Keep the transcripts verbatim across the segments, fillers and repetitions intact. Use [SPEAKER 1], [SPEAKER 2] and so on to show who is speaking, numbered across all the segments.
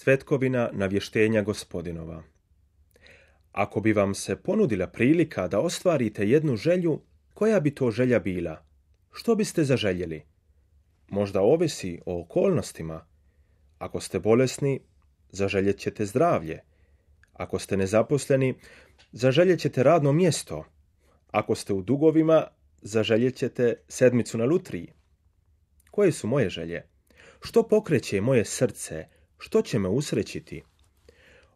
[SPEAKER 1] Svetkovina navještenja Gospodinova. Ako bi vam se ponudila prilika da ostvarite jednu želju, koja bi to želja bila? Što biste zaželjeli? Možda ovisi o okolnostima. Ako ste bolesni, zaželjet ćete zdravlje. Ako ste nezaposleni, zaželjet ćete radno mjesto. Ako ste u dugovima, zaželjet ćete sedmicu na lutriji. Koje su moje želje? Što pokreće moje srce? Što će me usrećiti?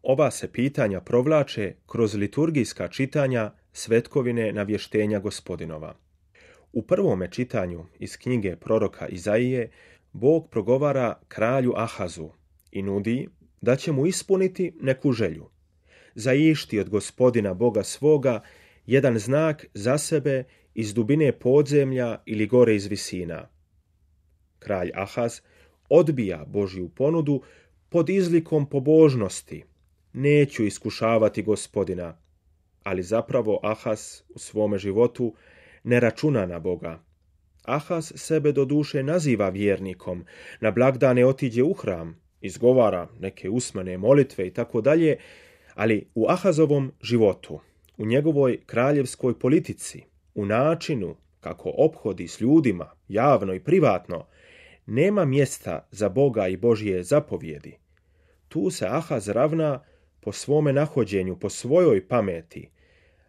[SPEAKER 1] Ova se pitanja provlače kroz liturgijska čitanja Svetkovine navještenja Gospodinova. U prvome čitanju iz knjige proroka Izaije Bog progovara kralju Ahazu i nudi da će mu ispuniti neku želju. Zaišti od Gospodina Boga svoga jedan znak za sebe iz dubine podzemlja ili gore iz visina. Kralj Ahaz odbija Božju ponudu pod izlikom pobožnosti. Neću iskušavati Gospodina, ali zapravo Ahaz u svome životu ne računa na Boga. Ahaz sebe do duše naziva vjernikom, na blagdane otiđe u hram, izgovara neke usmene molitve i tako dalje, ali u Ahazovom životu, u njegovoj kraljevskoj politici, u načinu kako ophodi s ljudima, javno i privatno, nema mjesta za Boga i Božje zapovjedi. Tu se Ahaz ravna po svome nahođenju, po svojoj pameti.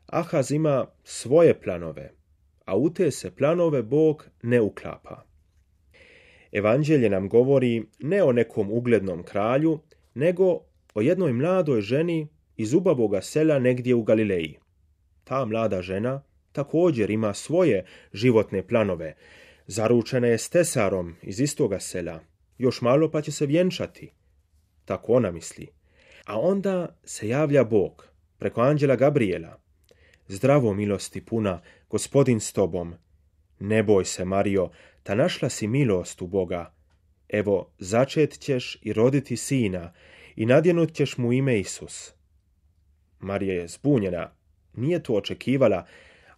[SPEAKER 1] Ahaz ima svoje planove, a u te se planove Bog ne uklapa. Evanđelje nam govori ne o nekom uglednom kralju, nego o jednoj mladoj ženi iz ubavoga sela negdje u Galileji. Ta mlada žena također ima svoje životne planove. Zaručena je s tesarom iz istoga sela. Još malo pa će se vjenčati. Tako ona misli. A onda se javlja Bog preko anđela Gabrijela. Zdravo, milosti puna, Gospodin s tobom. Ne boj se, Marijo, ta našla si milost u Boga. Evo, začet ćeš i roditi sina i nadjenut ćeš mu ime Isus. Marija je zbunjena, nije to očekivala,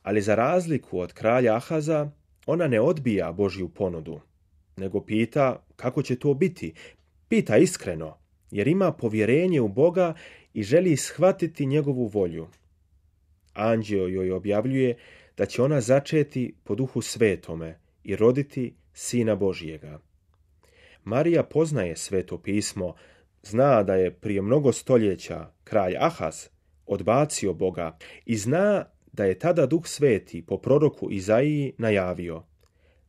[SPEAKER 1] ali za razliku od kralja Ahaza, ona ne odbija Božju ponudu, nego pita kako će to biti. Pita iskreno, jer ima povjerenje u Boga i želi shvatiti njegovu volju. Anđeo joj objavljuje da će ona začeti po Duhu Svetome i roditi Sina Božjega. Marija poznaje Sveto pismo, zna da je prije mnogo stoljeća kralj Ahaz odbacio Boga i zna da je tada Duh Sveti po proroku Izaiji najavio: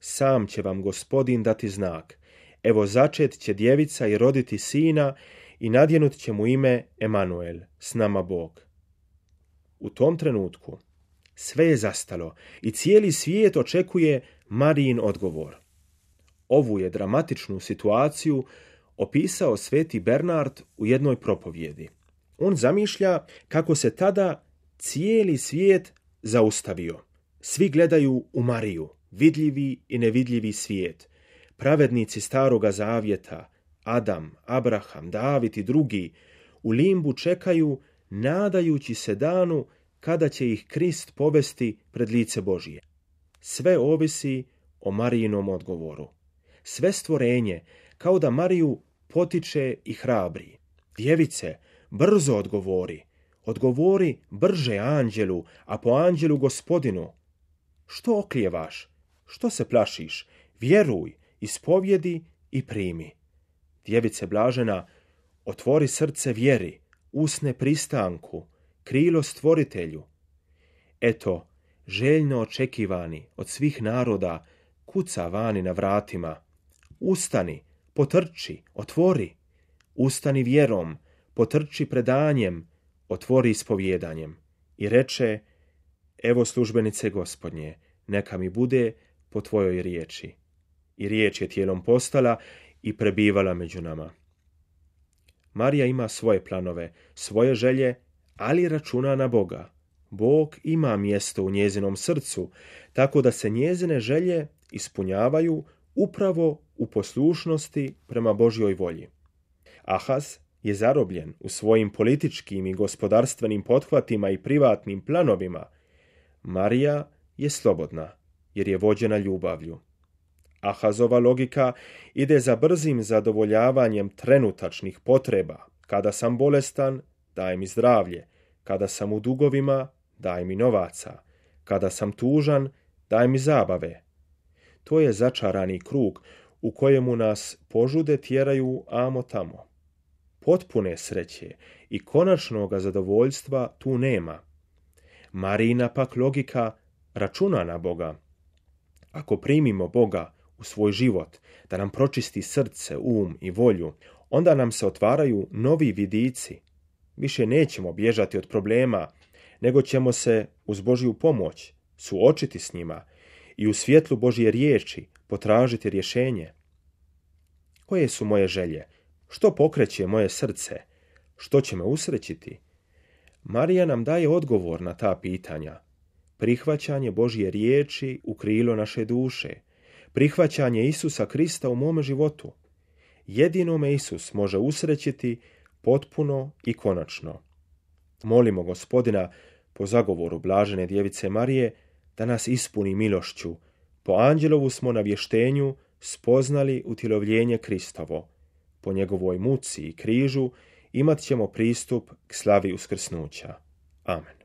[SPEAKER 1] sam će vam Gospodin dati znak, evo začet će djevica i roditi sina i nadjenut će mu ime Emanuel, s nama Bog. U tom trenutku sve je zastalo i cijeli svijet očekuje Marijin odgovor. Ovu je dramatičnu situaciju opisao sveti Bernard u jednoj propovjedi. On zamišlja kako se tada cijeli svijet zaustavio. Svi gledaju u Mariju, vidljivi i nevidljivi svijet. Pravednici staroga zavjeta, Adam, Abraham, David i drugi, u limbu čekaju, nadajući se danu kada će ih Krist povesti pred lice Božije. Sve ovisi o Marijinom odgovoru. Sve stvorenje kao da Mariju potiče i hrabri. Djevice, brzo odgovori. Odgovori brže anđelu, a po anđelu Gospodinu. Što oklijevaš? Što se plašiš? Vjeruj, ispovjedi i primi. Djevice blažena, otvori srce vjeri, usne pristanku, krilo stvoritelju. Eto, željno očekivani od svih naroda, kuca vani na vratima. Ustani, potrči, otvori. Ustani vjerom, potrči predanjem, otvori ispovjedanjem. I reče: evo službenice Gospodnje, neka mi bude po tvojoj riječi. I riječ je tijelom postala i prebivala među nama. Marija ima svoje planove, svoje želje, ali računa na Boga. Bog ima mjesto u njezinom srcu, tako da se njezine želje ispunjavaju upravo u poslušnosti prema Božjoj volji. Ahaz je zarobljen u svojim političkim i gospodarstvenim pothvatima i privatnim planovima. Marija je slobodna, jer je vođena ljubavlju. Ahazova logika ide za brzim zadovoljavanjem trenutačnih potreba. Kada sam bolestan, daj mi zdravlje. Kada sam u dugovima, daj mi novaca. Kada sam tužan, daj mi zabave. To je začarani krug u kojemu nas požude tjeraju amo tamo. Potpune sreće i konačnoga zadovoljstva tu nema. Marijina pak logika računa na Boga. Ako primimo Boga u svoj život, da nam pročisti srce, um i volju, onda nam se otvaraju novi vidici. Više nećemo bježati od problema, nego ćemo se uz Božju pomoć suočiti s njima i u svjetlu Božje riječi potražiti rješenje. Koje su moje želje? Što pokreće moje srce? Što će me usrećiti? Marija nam daje odgovor na ta pitanja. Prihvaćanje Božje riječi u krilo naše duše. Prihvaćanje Isusa Krista u mome životu. Jedino me Isus može usrećiti potpuno i konačno. Molimo Gospodina po zagovoru blažene djevice Marije da nas ispuni milošću. Po anđelovu smo na vještenju spoznali utjelovljenje Kristovo. Po njegovoj muci i križu imat ćemo pristup k slavi uskrsnuća. Amen.